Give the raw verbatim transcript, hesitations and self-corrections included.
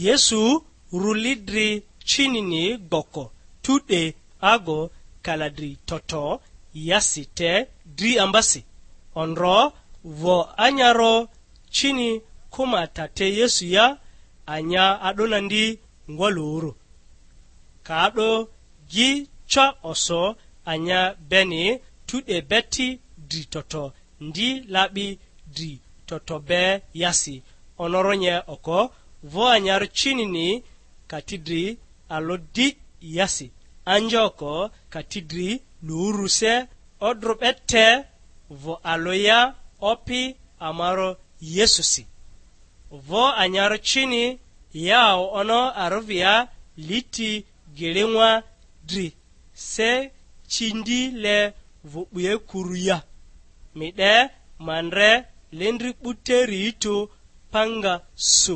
Yesu ruli dri cinini gboko, tu 'de ago kaladri toto yasi te dri ambasi. Ondro vo anyaro cini kuma ta te Yesu ya, anya a'do nandi ngwalᴜrᴜ. Ka a'do gi ca oso anya beni tu 'de beti dri toto ndi la'bi dri toto be yasi, onoronye oko vo anyaro cinini ka ti dri alo di yasi, anja oko ka ti dri luruse odro 'be te vo alo ya Opi amaro Yesusi. Vo anyaro cini yao ono arovia liti giliŋwa dri, se cindi le vo 'bue kuru ya. Mi 'de ma ndre lendri 'buteri tᴜ panga su.